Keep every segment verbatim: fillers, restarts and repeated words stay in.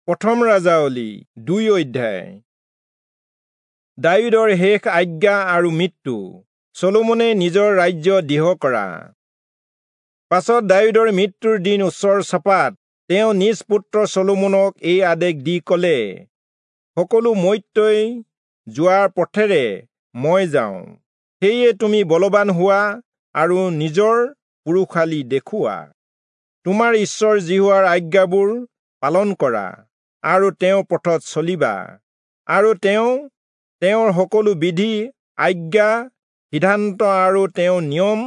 প্ৰথম ৰাজাৱলী দুই অধ্যায়। দায়ূদৰ শেষ আজ্ঞা আৰু মৃত্যু। চলোমনে নিজৰ ৰাজ্য দৃঢ় কৰা। পাছত দায়ূদৰ মৃত্যুৰ দিন ওচৰ চপাত তেওঁ নিজ পুত্ৰ চলোমনক এই আদেশ দি কলে, সকলো মৰ্ত্যই যোৱাৰ পথেৰে মই যাওঁ, সেয়ে তুমি বলৱান হোৱা আৰু নিজৰ পুৰুষালি দেখুওৱা। তোমাৰ ঈশ্বৰ যিহোৱাৰ আজ্ঞাবোৰ পালন কৰা আৰু তেওঁৰ পথত চলিবা, আৰু তেওঁ তেওঁৰ সকলো বিধি, আজ্ঞা, সিদ্ধান্ত আৰু তেওঁৰ নিয়ম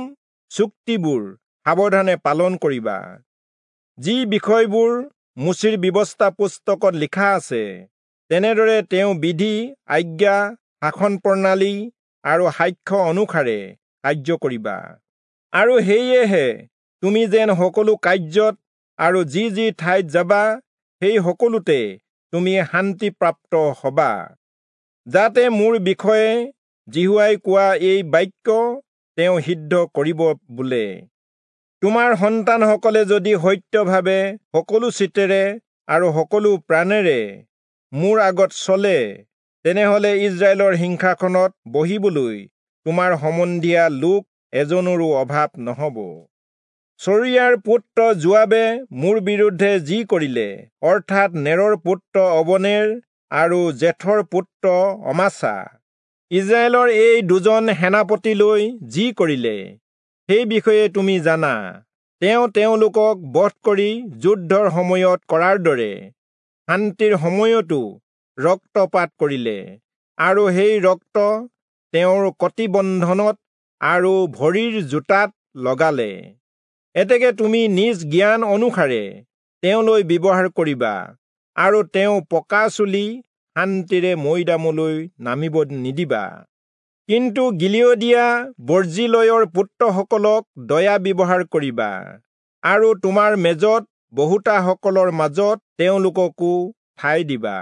চুক্তিবোৰ সাৱধানে পালন কৰিবা। যি বিষয়বোৰ মোচিৰ ব্যৱস্থা পুস্তকত লিখা আছে, তেনেদৰে তেওঁ বিধি, আজ্ঞা, শাসন প্ৰণালী আৰু সাক্ষ্য অনুসাৰে কাৰ্য কৰিবা। আৰু সেয়েহে তুমি যেন সকলো কাৰ্যত আৰু যি যি ঠাইত যাবা সেই সকলোতে তুমি শান্তিপ্ৰাপ্ত হবা, যাতে মোৰ বিষয়ে যিহোৱাই কোৱা এই বাক্য তেওঁ সিদ্ধ কৰিব বোলে, তোমাৰ সন্তানসকলে যদি সত্যভাৱে সকলো চিত্তেৰে আৰু সকলো প্ৰাণেৰে মোৰ আগত চলে, তেনেহলে ইস্ৰায়েলৰ সিংহাসনত বহিবলৈ তোমাৰ সম্বন্ধীয়া লোক এজনৰো অভাৱ নহব। চৰিয়াৰ পুত্ৰ যোৱাবে মোৰ বিৰুদ্ধে যি কৰিলে, অৰ্থাৎ নেৰৰ পুত্ৰ অবনেৰ আৰু জেথৰ পুত্ৰ অমাচা, ইস্ৰায়েলৰ এই দুজন সেনাপতিলৈ যি কৰিলে, সেই বিষয়ে তুমি জানা। তেওঁ তেওঁলোকক বধ কৰি যুদ্ধৰ সময়ত কৰাৰ দৰে শান্তিৰ সময়তো ৰক্তপাত কৰিলে, আৰু সেই ৰক্ত তেওঁৰ কটিবন্ধনত আৰু ভৰিৰ জোতাত লগালে। এতেকে তুমি নিজ জ্ঞান অনুসাৰে তেওঁলৈ ব্যৱহাৰ কৰিবা, আৰু তেওঁ পকা চুলি শান্তিৰে মৈদামলৈ নামিব নিদিবা। কিন্তু গিলিয়দীয়া বৰ্জিলয়ৰ পুত্ৰসকলক দয়া ব্যৱহাৰ কৰিবা, আৰু তোমাৰ মেজত বহুতাসকলৰ মাজত তেওঁলোককো ঠাই দিবা।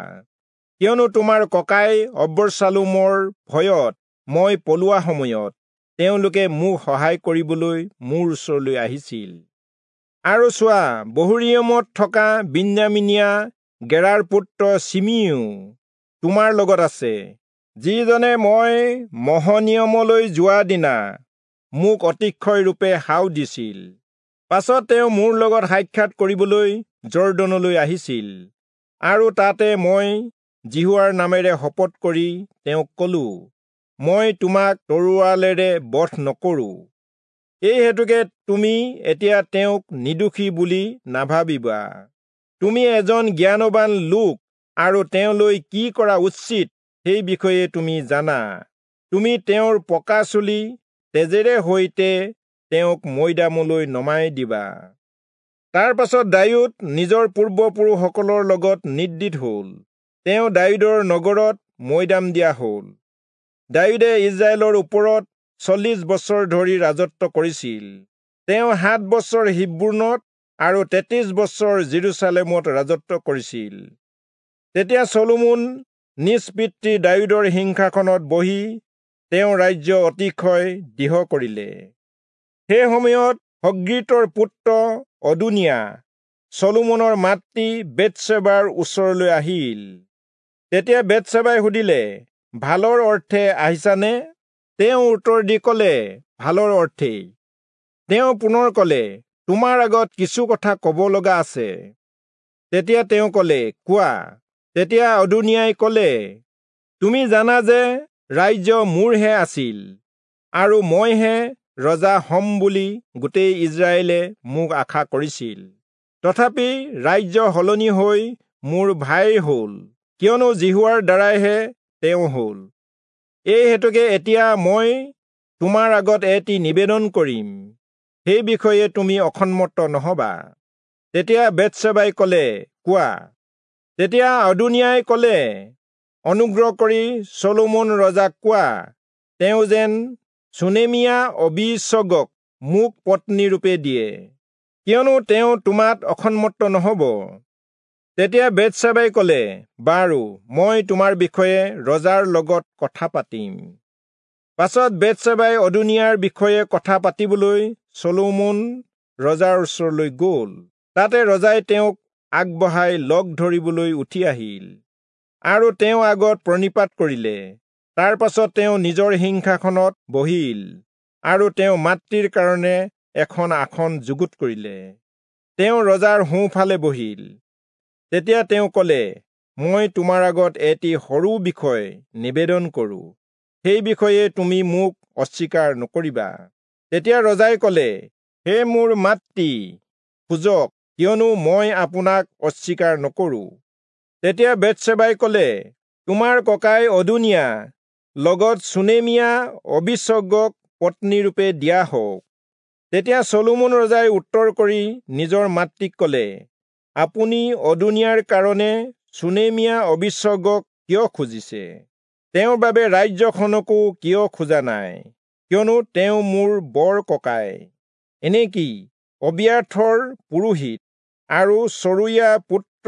কিয়নো তোমাৰ ককাই অবচালোমৰ ভয়ত মই পলোৱা সময়ত তেওঁলোকে মোক সহায় কৰিবলৈ মোৰ ওচৰলৈ আহিছিল। আৰু চোৱা, বহূৰিমত থকা বিন্যামীনীয়া গেৰাৰ পুত্ৰ চিমিও তোমাৰ লগত আছে, যিজনে মই মহনিয়মলৈ যোৱা দিনা মোক অতিশয়ৰূপে শাও দিছিল। পাছত তেওঁ মোৰ লগত সাক্ষাৎ কৰিবলৈ যৰ্দনলৈ আহিছিল, আৰু তাতে মই যিহোৱাৰ নামেৰে শপত কৰি তেওঁক কলো, মই তোমাক তৰোৱালেৰে বধ নকৰো। এই হেতুকে তুমি এতিয়া তেওঁক নিৰ্দোষী বুলি নাভাবিবা। তুমি এজন জ্ঞানৱান লোক, আৰু তেওঁলৈ কি কৰা উচিত সেই বিষয়ে তুমি জানা। তুমি তেওঁৰ পকা চুলি তেজেৰে সৈতে তেওঁক মৈদামলৈ নমাই দিবা। তাৰ পাছত দায়ূদ নিজৰ পূৰ্বপুৰুষসকলৰ লগত নিদ্ৰিত হল। তেওঁ দায়ূদৰ নগৰত মৈদাম দিয়া হল। দায়ূদে ইস্ৰায়েলৰ ওপৰত চল্লিশ বছৰ ধৰি ৰাজত্ব কৰিছিল। তেওঁ সাত বছৰ হিব্ৰোনত আৰু তেত্ৰিশ বছৰ যিৰূচালেমত ৰাজত্ব কৰিছিল। তেতিয়া চলোমন নিজ পিতৃ দায়ূদৰ সিংহাসনত বহি তেওঁৰ ৰাজ্য অতিশয় দৃঢ় কৰিলে। সেই সময়ত হগ্গীতৰ পুত্ৰ অদোনিয়া চলোমনৰ মাতৃ বেৎচেবাৰ ওচৰলৈ আহিল। তেতিয়া বেৎচেবাই সুধিলে, ভালৰ অৰ্থে আহিছানে? তেওঁ উত্তৰ দি কলে, ভালৰ অৰ্থেই। তেওঁ পুনৰ কলে, তোমাৰ আগত কিছু কথা কব লগা আছে। তেতিয়া তেওঁ কলে, কোৱা। তেতিয়া অদোনিয়াই কলে, তুমি জানা যে ৰাজ্য মোৰহে আছিল, আৰু মইহে ৰজা হম বুলি গোটেই ইস্ৰায়েলে মোক আশা কৰিছিল। তথাপি ৰাজ্য সলনি হৈ মোৰ ভাইৰ হল, কিয়নো যিহোৱাৰ দ্বাৰাইহে তেওঁ হল। এই হেতুকে এতিয়া মই তোমাৰ আগত এটি নিবেদন কৰিম, সেই বিষয়ে তুমি অসন্মত নহবা। তেতিয়া বেৎচেবাই কলে, কোৱা। তেতিয়া অদোনিয়াই কলে, অনুগ্ৰহ কৰি চলোমন ৰজাক কোৱা, তেওঁ যেন চুনেমীয়া অবীচগক মোক পত্নীৰূপে দিয়ে, কিয়নো তেওঁ তোমাত অসন্মত নহব। তেতিয়া বেৎচেবাই কলে, বাৰু, মই তোমাৰ বিষয়ে ৰজাৰ লগত কথা পাতিম। পাছত বেৎচেবাই অদোনিয়াৰ বিষয়ে কথা পাতিবলৈ চলোমন ৰজাৰ ওচৰলৈ গল। তাতে ৰজাই তেওঁক আগবঢ়াই লগ ধৰিবলৈ উঠি আহিল আৰু তেওঁ আগত প্ৰণিপাত কৰিলে। তাৰ পাছত তেওঁ নিজৰ সিংহাসনত বহিল আৰু তেওঁ মাতৃৰ কাৰণে এখন আসন যুগুত কৰিলে। তেওঁ ৰজাৰ সোঁফালে বহিল। তেতিয়া তেওঁ কলে, মই তোমাৰ আগত এটি সৰু বিষয় নিবেদন কৰোঁ, সেই বিষয়ে তুমি মোক অস্বীকাৰ নকৰিবা। তেতিয়া ৰজাই কলে, হে মোৰ মাতৃ, খোজক, কিয়নো মই আপোনাক অস্বীকাৰ নকৰোঁ। তেতিয়া বেৎসেবাই কলে, তোমাৰ ককাই অদোনিয়া লগত চুনেমীয়া অবিচগক পত্নীৰূপে দিয়া হওক। তেতিয়া চলোমন ৰজাই উত্তৰ কৰি নিজৰ মাতৃক কলে, আপুনি অদোনিয়াৰ কাৰণে চুনেমীয়া অবিচগক কিয় খুজিছে? তেওঁৰ বাবে ৰাজ্যখনকো কিয় খোজা নাই? কিয়নো তেওঁ মোৰ বৰ ককাই। এনেকি অবিয়াথৰ পুৰোহিত আৰু চৰুয়া পুত্ৰ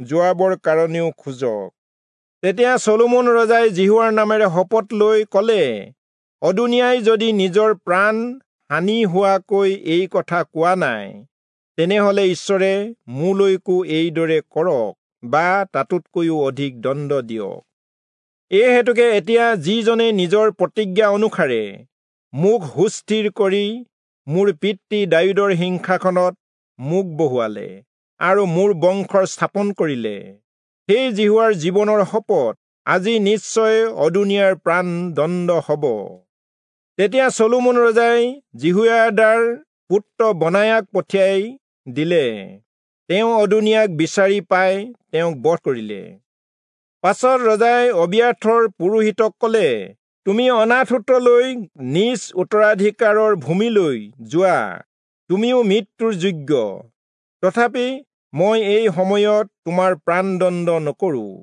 যোৱাবৰ কাৰণেও খোজক। তেতিয়া চলোমন ৰজাই যিহোৱাৰ নামেৰে শপত লৈ কলে, অদোনিয়াই যদি নিজৰ প্ৰাণ হানি হোৱাকৈ এই কথা কোৱা নাই, তেনেহলে ঈশ্বৰে মোলৈকো এইদৰে কৰক বা তাতোতকৈও অধিক দণ্ড দিয়ক। এই হেতুকে এতিয়া যিজনে নিজৰ প্ৰতিজ্ঞা অনুসাৰে মোক সুস্থিৰ কৰি মোৰ পিতৃ দায়ূদৰ সিংহাসনত মোক বহুৱালে আৰু মোৰ বংশৰ স্থাপন কৰিলে, সেই যিহোৱাৰ জীৱনৰ শপত, আজি নিশ্চয় অদোনিয়াৰ প্ৰাণ দণ্ড হব। তেতিয়া চলোমন ৰজাই যিহোয়াদাৰ পুত্ৰ বনায়াক পঠিয়াই দিলে। তেওঁ অদোনিয়াক বিচাৰি পাই তেওঁক বধ কৰিলে। পাছত ৰজাই অবিয়াথৰ পুৰোহিতক কলে, তুমি অনাথোতলৈ নিজ উত্তৰাধিকাৰৰ ভূমিলৈ যোৱা, তুমিও মৃত্যুৰ যোগ্য। তথাপি মই এই সময়ত তোমাৰ প্ৰাণদণ্ড নকৰোঁ,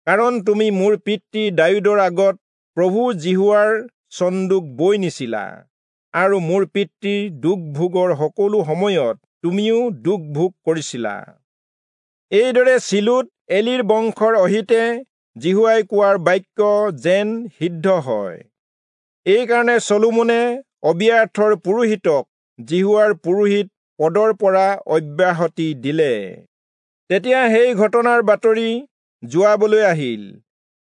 কাৰণ তুমি মোৰ পিতৃ দায়ূদৰ আগত প্ৰভু যিহোৱাৰ চন্দুক বৈ নিছিলা আৰু মোৰ পিতৃৰ দুখ ভোগৰ সকলো সময়ত তুমিও দুখ ভোগ কৰিছিলা। এইদৰে চিলোত এলিৰ বংশৰ অহিতে যিহোৱাই কোৱাৰ বাক্য যেন সিদ্ধ হয়। এইকাৰণে চলোমনে অবিয়াথৰ পুৰোহিতক যিহোৱাৰ পুৰোহিত পদৰ পৰা অব্যাহতি দিলে। তেতিয়া সেই ঘটনাৰ বাতৰি যোৱাবলৈ আহিল,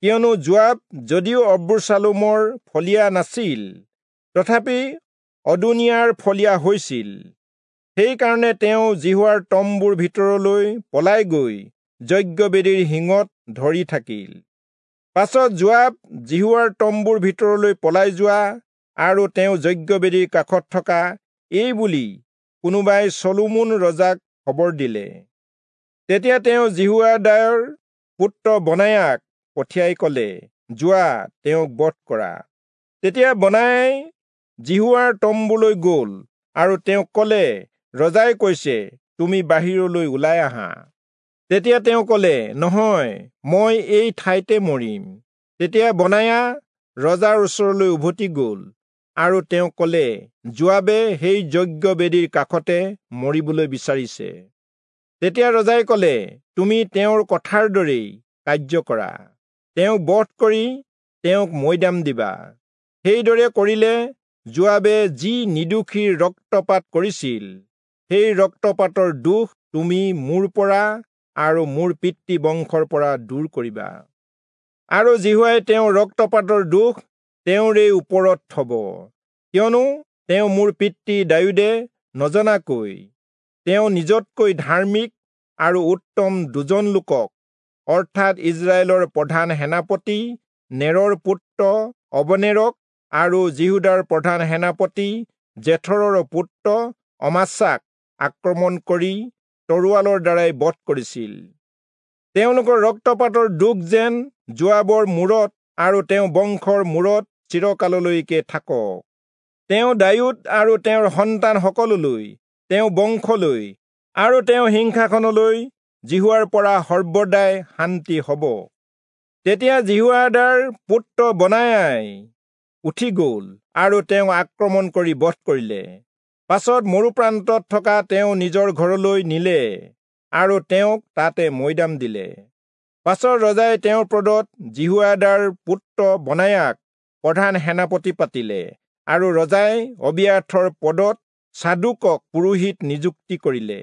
কিয়নো যোৱাব যদিও অবচালোমৰ ফলীয়া নাছিল, তথাপি অদোনিয়াৰ ফলীয়া হৈছিল। সেইকাৰণে তেওঁ যিহোৱাৰ তম্বুৰ ভিতৰলৈ পলাই গৈ যজ্ঞবেদীৰ শিঙত ধৰি থাকিল। পাছত যোৱাব যিহোৱাৰ তম্বুৰ ভিতৰলৈ পলাই যোৱা আৰু তেওঁ যজ্ঞবেদীৰ কাষত থকা এই বুলি কোনোবাই চলোমন ৰজাক খবৰ দিলে। তেতিয়া তেওঁ যিহোয়াদাৰ পুত্ৰ বনায়াক পঠিয়াই কলে, যোৱা, তেওঁক বধ কৰা। তেতিয়া বনায়াই যিহোৱাৰ তম্বুলৈ গল আৰু তেওঁক কলে, ৰজাই কৈছে, তুমি বাহিৰলৈ ওলাই আহা। তেতিয়া তেওঁ কলে, নহয়, মই এই ঠাইতে মৰিম। তেতিয়া বনায়া ৰজাৰ ওচৰলৈ উভতি গল আৰু তেওঁ কলে, যোৱাবে সেই যজ্ঞবেদীৰ কাষতে মৰিবলৈ বিচাৰিছে। তেতিয়া ৰজাই কলে, তুমি তেওঁৰ কথাৰ দৰেই কাৰ্য কৰা, তেওঁক বধ কৰি তেওঁক মৈদাম দিবা। সেইদৰে কৰিলে যোৱাবে যি নিৰ্দোষীৰ ৰক্তপাত কৰিছিল, সেই ৰক্তপাতৰ দোষ তুমি মোৰ পৰা আৰু মোৰ পিতৃ বংশৰ পৰা দূৰ কৰিবা। আৰু যিহোৱাই তেওঁৰ ৰক্তপাতৰ দোষ তেওঁৰেই ওপৰত থব, কিয়নো তেওঁ মোৰ পিতৃ দায়ূদে নজনাকৈ তেওঁ নিজতকৈ ধাৰ্মিক আৰু উত্তম দুজন লোকক, অৰ্থাৎ ইজৰাইলৰ প্ৰধান সেনাপতি নেৰৰ পুত্ৰ অবনেৰক আৰু যিহূদাৰ প্ৰধান সেনাপতি জেথৰৰ পুত্ৰ অমাচাক আক্ৰমণ কৰি তৰোৱালৰ দ্বাৰাই বধ কৰিছিল। তেওঁলোকৰ ৰক্তপাতৰ দোষ যেন যোৱাবৰ মূৰত আৰু তেওঁ বংশৰ মূৰত চিৰকাললৈকে থাকক। তেওঁ দায়ূদ আৰু তেওঁৰ সন্তানসকললৈ, তেওঁ বংশলৈ আৰু তেওঁ সিংহাসনলৈ যিহোৱাৰ পৰা সৰ্বদাই শান্তি হ'ব। তেতিয়া যিহোয়াদাৰ পুত্ৰ বনায়াই উঠি গ'ল আৰু তেওঁক আক্ৰমণ কৰি বধ কৰিলে। পাছত মৰুপ্ৰান্তত থকা তেওঁ নিজৰ ঘৰলৈ নিলে আৰু তেওঁক তাতে মৈদাম দিলে। পাছত ৰজাই তেওঁৰ পদত যিহোয়াদাৰ পুত্ৰ বনায়াক প্ৰধান সেনাপতি পাতিলে আৰু ৰজাই অবিয়াথৰ পদত চাদোকক পুৰোহিত নিযুক্তি কৰিলে।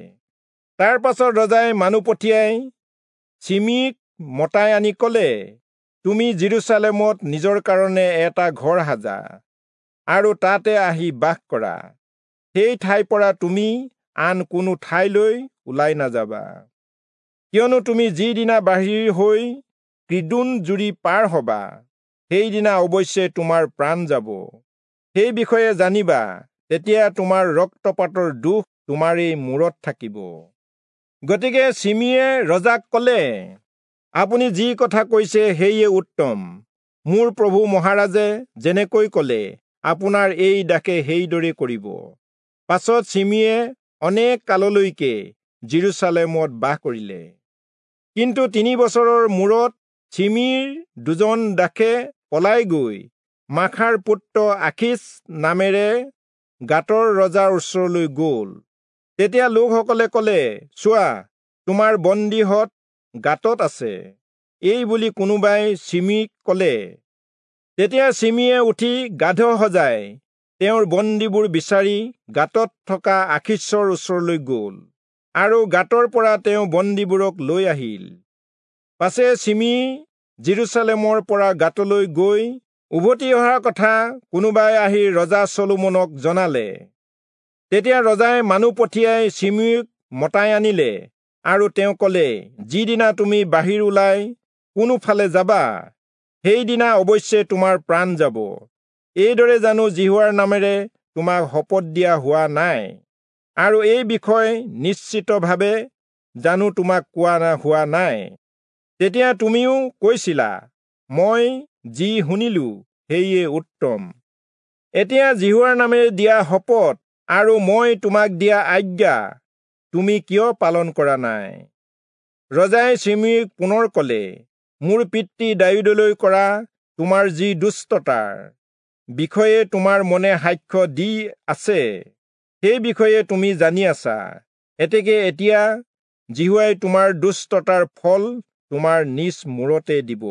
তাৰ পাছত ৰজাই মানুহ পঠিয়াই চিমিক মতাই আনি কলে, তুমি যিৰূচালেমত নিজৰ কাৰণে এটা ঘৰ সাজা আৰু তাতে আহি বাস কৰা। সেই ঠাইৰ পৰা তুমি আন কোনো ঠাইলৈ ওলাই নাযাবা, কিয়নো তুমি যিদিনা বাহিৰ হৈ কিদ্ৰোণ জুৰি পাৰ হবা, সেইদিনা অৱশ্যে তোমাৰ প্ৰাণ যাব। সেই বিষয়ে জানিবা, তেতিয়া তোমাৰ ৰক্তপাতৰ দোষ তোমাৰেই মূৰত থাকিব। গতিকে চিমিয়ে ৰজাক কলে, আপুনি যি কথা কৈছে সেয়ে উত্তম। মোৰ প্ৰভু মহাৰাজে যেনেকৈ কলে, আপোনাৰ এই দাসে সেইদৰে কৰিব। পাছত চিমিয়ে অনেক কাললৈকে যিৰূচালেমত বাস কৰিলে। কিন্তু তিনি বছৰৰ মূৰত চিমিৰ দুজন দাসে পলাই গৈ মাখাৰ পুত্ৰ আখীচ নামেৰে গাতৰ ৰজাৰ ওচৰলৈ গল। তেতিয়া লোকসকলে কলে, চোৱা, তোমাৰ বন্দীহঁত গাতত আছে, এই বুলি কোনোবাই চিমিক কলে। তেতিয়া চিমিয়ে উঠি গাধ সজাই তেওঁৰ বন্দীবোৰ বিচাৰি গাতত থকা আখীচৰ ওচৰলৈ গল আৰু গাতৰ পৰা তেওঁ বন্দীবোৰক লৈ আহিল। পাছে চিমি যিৰূচালেমৰ পৰা গাতলৈ গৈ উভতি অহাৰ কথা কোনোবাই আহি ৰজা চলোমনক জনালে। তেতিয়া ৰজাই মানুহ পঠিয়াই চিমিক মতাই আনিলে আৰু তেওঁ কলে, যিদিনা তুমি বাহিৰ ওলাই কোনোফালে যাবা, সেইদিনা অৱশ্যে তোমাৰ প্ৰাণ যাব। এইদৰে জানো যিহোৱাৰ নামেৰে তোমাক শপত দিয়া হোৱা নাই, আৰু এই বিষয় নিশ্চিতভাৱে জানো তোমাক কোৱা হোৱা নাই? তেতিয়া তুমিও কৈছিলা, মই যি শুনিলো সেয়ে উত্তম। এতিয়া যিহোৱাৰ নামেৰে দিয়া শপত আৰু মই তোমাক দিয়া আজ্ঞা তুমি কিয় পালন কৰা নাই? ৰজাই চিমিক পুনৰ কলে, মোৰ পিতৃ দায়ূদলৈ কৰা তোমাৰ যি দুষ্টতাৰ বিষয়ে তোমাৰ মনে সাক্ষ্য দি আছে, সেই বিষয়ে তুমি জানি আছা। এতেকে এতিয়া যিহোৱাই তোমাৰ দুষ্টতাৰ ফল তোমাৰ নিজ মূৰতে দিব।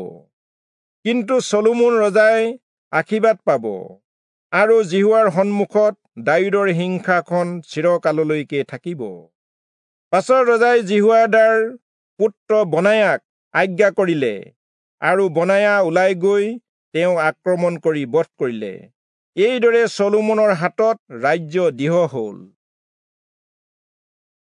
কিন্তু চলোমন ৰজাই আশীৰ্বাদ পাব আৰু যিহোৱাৰ সন্মুখত দায়ূদৰ সিংহাসন চিৰকাললৈকে থাকিব। পাছত ৰজাই যিহোয়াদাৰ পুত্ৰ বনায়াক আজ্ঞা কৰিলে আৰু বনায়া ওলাই গৈ তেওঁ আক্ৰমণ কৰি বধ কৰিলে। এইদৰে চলোমনৰ হাতত ৰাজ্য দৃঢ় হল।